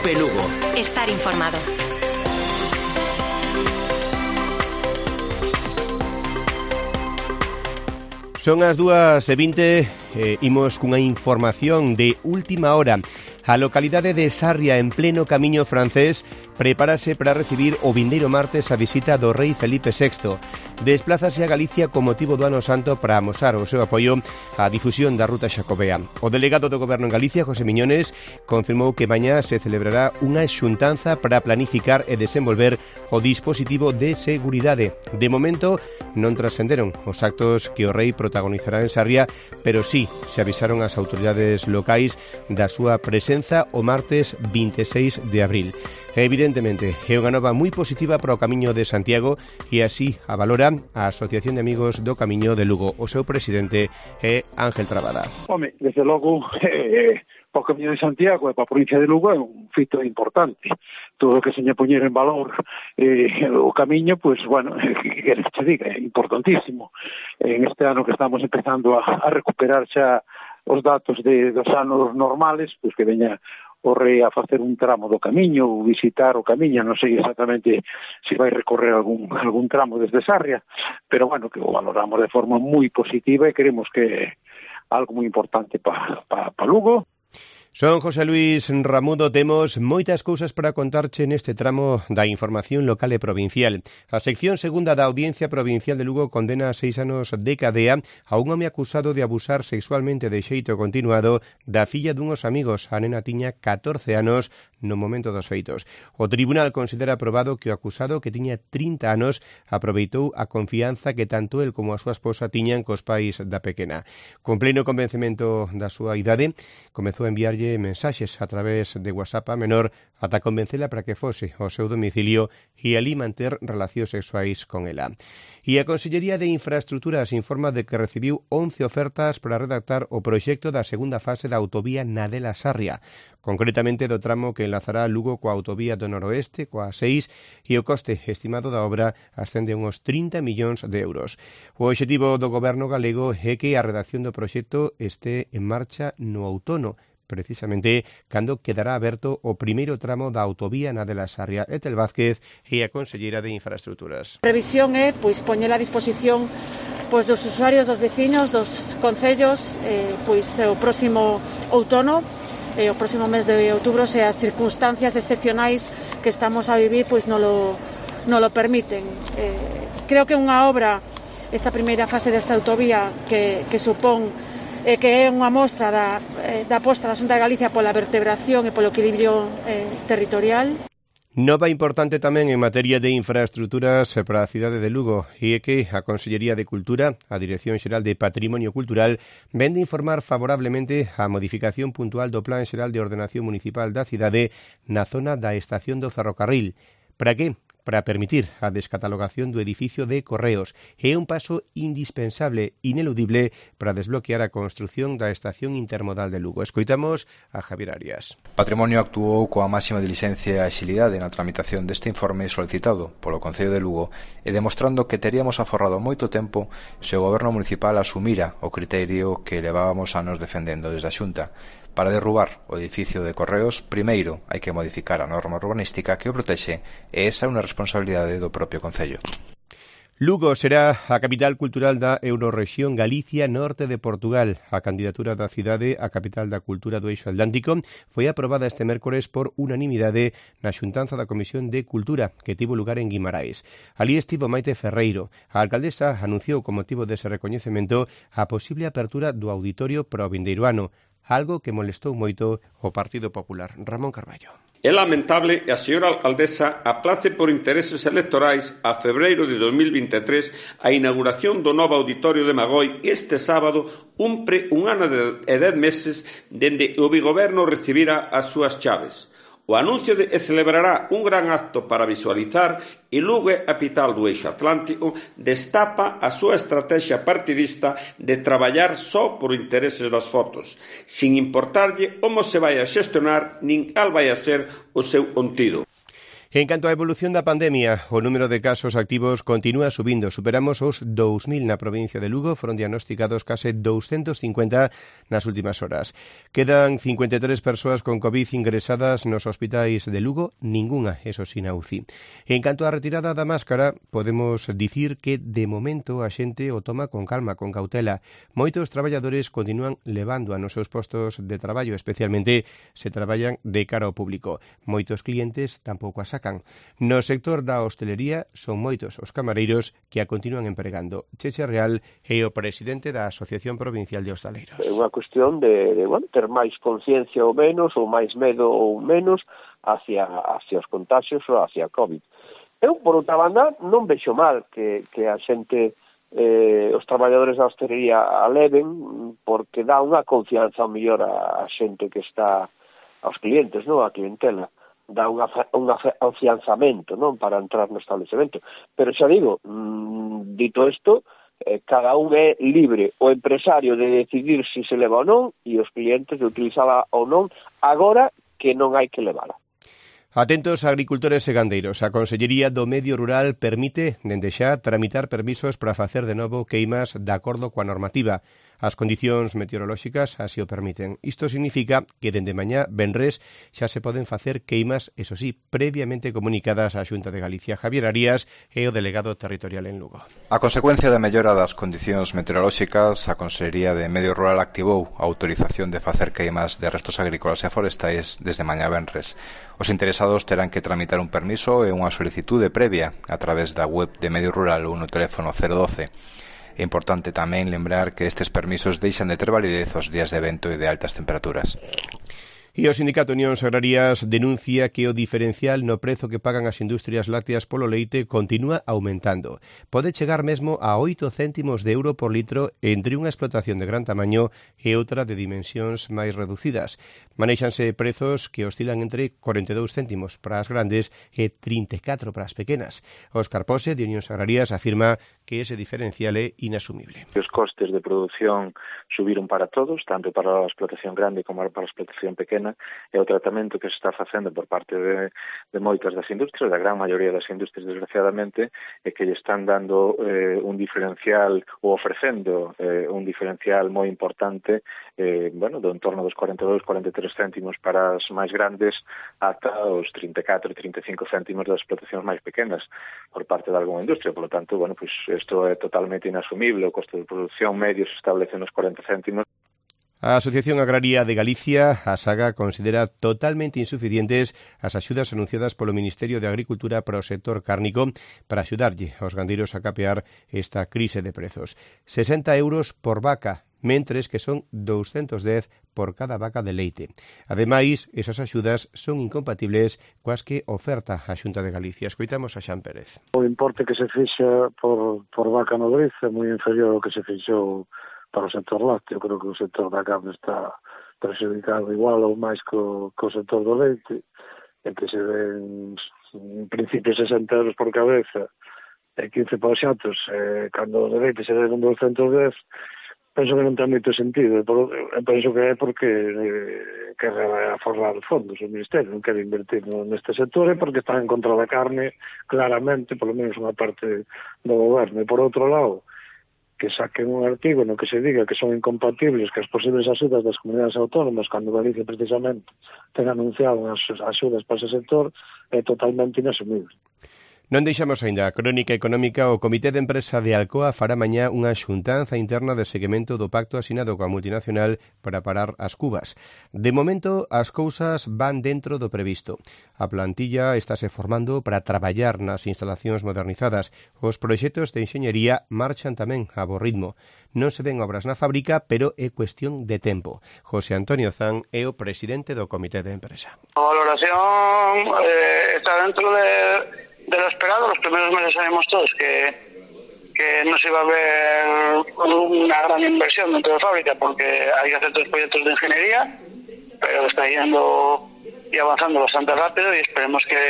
Cope Lugo. Estar informado. Son as 2:20, imos cunha información de última hora. A localidade de Sarria, en pleno camiño francés, prepárase para recibir o vindeiro martes a visita do rei Felipe VI. Desplázase a Galicia con motivo do Ano Santo para amosar o seu apoio á difusión da ruta xacobea. O delegado do Goberno en Galicia, José Miñones, confirmou que mañá se celebrará unha xuntanza para planificar e desenvolver o dispositivo de seguridade. De momento, non trascenderon os actos que o rei protagonizará en Sarria, pero sí se avisaron as autoridades locais da súa presenza o martes 26 de abril. Evidentemente, é unha nova moi positiva para o Camiño de Santiago e así a valora a Asociación de Amigos do Camiño de Lugo. O seu presidente é Ángel Trabada. Home, desde logo, para o Camiño de Santiago e para a provincia de Lugo é un fito importante. Todo o que se lle poñer en valor o camiño, pois, bueno, que queres que te diga, é importantísimo. En este ano que estamos empezando a recuperar xa os datos dos anos normales, pois que veña o rei a facer un tramo do camiño, ou visitar o camiño, non sei exactamente se vai recorrer algún tramo desde Sarria, pero bueno, que o valoramos de forma moi positiva e queremos que é algo moi importante para Lugo. Son José Luis Ramudo, temos moitas cousas para contarche neste tramo da información local e provincial. A sección segunda da Audiencia Provincial de Lugo condena a 6 anos de cadea a un home acusado de abusar sexualmente de xeito continuado da filla dunhos amigos. A nena tiña 14 anos no momento dos feitos. O tribunal considera aprobado que o acusado, que tiña 30 anos, aproveitou a confianza que tanto el como a súa esposa tiñan cos pais da pequena. Con pleno convencemento da súa idade, comezou a enviarlle mensaxes a través de WhatsApp a menor ata convencela para que fose ao seu domicilio e alí manter relacións sexuais con ela. E a Consellería de Infraestructuras informa de que recibiu 11 ofertas para redactar o proxecto da segunda fase da autovía Nadela-Sarria, concretamente do tramo que enlazará Lugo coa autovía do noroeste, coa 6, e o coste estimado da obra ascende a uns 30 millóns de euros. O obxectivo do Goberno galego é que a redacción do proxecto este en marcha no outono, precisamente cando quedará aberto o primeiro tramo da autovía Nadela-Sarria. Etel Vázquez é a conselleira de Infraestructuras. A previsión é poñela a disposición dos usuarios, dos veciños, dos concellos, o próximo outono, o próximo mes de outubro, se as circunstancias excepcionais que estamos a vivir non lo permiten. Creo que unha obra, esta primeira fase desta autovía que supón que é unha mostra da aposta da Xunta de Galicia pola vertebración e polo equilibrio territorial. Nova importante tamén en materia de infraestructuras para a cidade de Lugo e é que a Consellería de Cultura, a Dirección Xeral de Patrimonio Cultural, ven de informar favorablemente a modificación puntual do Plan Xeral de Ordenación Municipal da cidade na zona da estación do ferrocarril. Para que? Para permitir a descatalogación do edificio de Correos. É un paso indispensable, ineludible, para desbloquear a construción da estación intermodal de Lugo. Escoitamos a Javier Arias. Patrimonio actuou coa máxima diligencia e axilidade na tramitación deste informe solicitado polo Concello de Lugo e demostrando que teríamos aforrado moito tempo se o Goberno Municipal asumira o criterio que levábamos anos defendendo desde a Xunta. Para derrubar o edificio de Correos, primeiro hai que modificar a norma urbanística que o protexe e esa é unha responsabilidade do propio Concello. Lugo será a capital cultural da Eurorrexión Galicia Norte de Portugal. A candidatura da cidade a capital da cultura do Eixo Atlántico foi aprobada este mércores por unanimidade na xuntanza da Comisión de Cultura que tivo lugar en Guimarães. Alí estivo Maite Ferreiro. A alcaldesa anunciou con motivo dese recoñecemento a posible apertura do auditorio para o vindeiro ano, algo que molestou moito o Partido Popular. Ramón Carballo. É lamentable que a señora alcaldesa aplace por intereses electorais a febreiro de 2023 a inauguración do novo auditorio de Magoi este sábado cumpre un ano e 10 meses dende o Bigoberno recibira as súas chaves. O anuncio de que celebrará un gran acto para visualizar e Lugo é a capital do Eixo Atlántico destapa a súa estrategia partidista de traballar só por intereses das fotos, sin importarlle como se vai a xestionar nin cal vai a ser o seu contido. En canto á evolución da pandemia, o número de casos activos continúa subindo. Superamos os 2.000 na provincia de Lugo, foron diagnosticados case 250 nas últimas horas. Quedan 53 persoas con COVID ingresadas nos hospitais de Lugo, ningunha, eso sí, na UCI. En canto á retirada da máscara, podemos dicir que de momento a xente o toma con calma, con cautela. Moitos traballadores continúan levando a nos seus postos de traballo, especialmente se traballan de cara ao público. Moitos clientes tampouco a sacan. No sector da hostelería son moitos os camareiros que a continúan empregando. Cheche Real é o presidente da Asociación Provincial de Hostaleiros. É unha cuestión de ter máis conciencia ou menos, ou máis medo ou menos hacia os contagios ou hacia a COVID. Eu, por outra banda, non vexo mal que a xente, os traballadores da hostelería aleven, porque dá unha confianza mellor a xente que está, aos clientes, non, a clientela. Dá un afianzamento, non, para entrar no establecemento. Pero xa digo, dito isto, cada un é libre, o empresario de decidir se se leva ou non, e os clientes de utilizala ou non, agora que non hai que levala. Atentos agricultores e gandeiros. A Consellería do Medio Rural permite, dende xa, tramitar permisos para facer de novo queimas de acordo coa normativa. As condicións meteorolóxicas así o permiten. Isto significa que dende mañá, venres, xa se poden facer queimas, eso sí, previamente comunicadas á Xunta de Galicia. Javier Arias é o delegado territorial en Lugo. A consecuencia da mellora das condicións meteorolóxicas, a Consellería de Medio Rural activou a autorización de facer queimas de restos agrícolas e forestais desde mañá venres. Os interesados terán que tramitar un permiso e unha solicitude previa a través da web de Medio Rural ou no teléfono 012. É importante tamén lembrar que estes permisos deixan de ter validez aos días de vento e de altas temperaturas. E o Sindicato Unións Agrarias denuncia que o diferencial no prezo que pagan as industrias lácteas polo leite continúa aumentando. Pode chegar mesmo a 8 céntimos de euro por litro entre unha explotación de gran tamaño e outra de dimensións máis reducidas. Manéixanse prezos que oscilan entre 42 céntimos para as grandes e 34 para as pequenas. Óscar Pose, de Unións Agrarias, afirma que ese diferencial é inasumible. Os costes de produción subiron para todos, tanto para a explotación grande como para a explotación pequena, e o tratamento que se está facendo por parte de moitas das industrias, da gran maioría das industrias, desgraciadamente, é que lle están dando un diferencial ou ofrecendo un diferencial moi importante, do entorno dos 42-43 céntimos para as máis grandes ata os 34-35 céntimos das explotacións máis pequenas por parte de algunha industria. Por lo tanto, isto é totalmente inasumible. O costo de produción medio se establece nos 40 céntimos. A Asociación Agraria de Galicia, a SAGA, considera totalmente insuficientes as axudas anunciadas polo Ministerio de Agricultura para o sector cárnico para axudarlle aos gandeiros a capear esta crise de prezos. 60 euros por vaca, mentres que son 210 por cada vaca de leite. Ademais, esas axudas son incompatibles coas que oferta a Xunta de Galicia. Escoitamos a Xan Pérez. O importe que se fixa por vaca nodriz é moi inferior ao que se fixou para o sector lácteo. Creo que o sector da carne está prexudicado igual ou máis co sector do leite, e que se ven en principio 60 euros por cabeza e 15 para os xatos, cando o de leite se den 210, penso que non ten moito sentido. Penso que é porque quere aforrar fondos o Ministerio, non quere invertir neste sector, e porque está en contra da carne, claramente, polo menos unha parte do goberno. E por outro lado, que saquen un artigo no que se diga que son incompatibles que as posibles axudas das comunidades autónomas, cando Galicia precisamente ten anunciado as axudas para ese sector, é totalmente inasumible. Non deixamos aínda a crónica económica. O Comité de Empresa de Alcoa fará mañá unha xuntanza interna de seguimento do pacto asinado coa multinacional para parar as cubas. De momento, as cousas van dentro do previsto. A plantilla estáse formando para traballar nas instalacións modernizadas. Os proxectos de enxeñería marchan tamén a bo ritmo. Non se ven obras na fábrica, pero é cuestión de tempo. José Antonio Zan é o presidente do Comité de Empresa. A valoración está dentro de lo esperado. Los primeros meses sabemos todos que no se iba a ver una gran inversión dentro de la fábrica porque hay que hacer otros proyectos de ingeniería, pero está yendo y avanzando bastante rápido, y esperemos que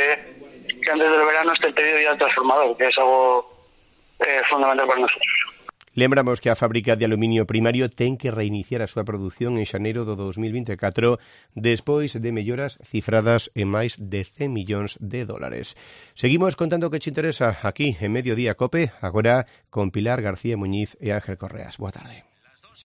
antes del verano esté el pedido ya transformador, que es algo fundamental para nosotros. Lembramos que a fábrica de aluminio primario ten que reiniciar a súa produción en xaneiro do 2024 despois de melloras cifradas en máis de 100 millóns de dólares. Seguimos contando o que te interesa aquí en Mediodía Cope, agora con Pilar García Muñiz e Ángel Correas. Boa tarde.